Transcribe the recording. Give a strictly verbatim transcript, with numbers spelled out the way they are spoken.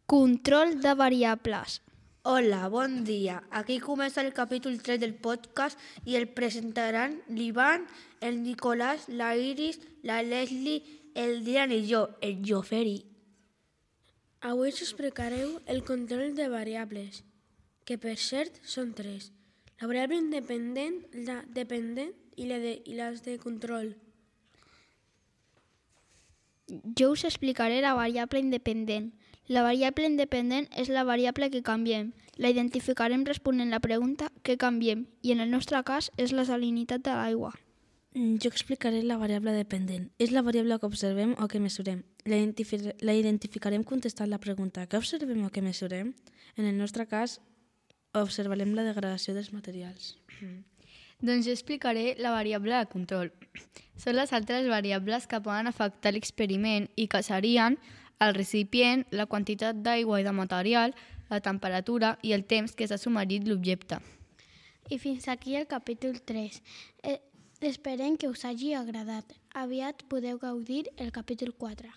Control de variables. Hola, bon dia. Aquí comença el capítol tres del podcast i el presentaran l'Ivan, el Nicolás, la Iris, la Leslie, el Dian i jo, el Joferi. Avui us explicareu el control de variables, que per cert són tres. La variable independent, la dependent i, la de, i les de control. Jo us explicaré la variable independent. La variable independent és la variable que canviem. La identificarem responent la pregunta què canviem i en el nostre cas és la salinitat de l'aigua. Jo explicaré la variable dependent. És la variable que observem o que mesurem. La, identifi- la identificarem contestant la pregunta què observem o què mesurem. En el nostre cas, observarem la degradació dels materials. Doncs jo explicaré la variable de control. Són les altres variables que poden afectar l'experiment i que serien el recipient, la quantitat d'aigua i de material, la temperatura i el temps que s'ha submergit l'objecte. I fins aquí el capítol tres. Eh, esperem que us hagi agradat. Aviat podeu gaudir el capítol quatre.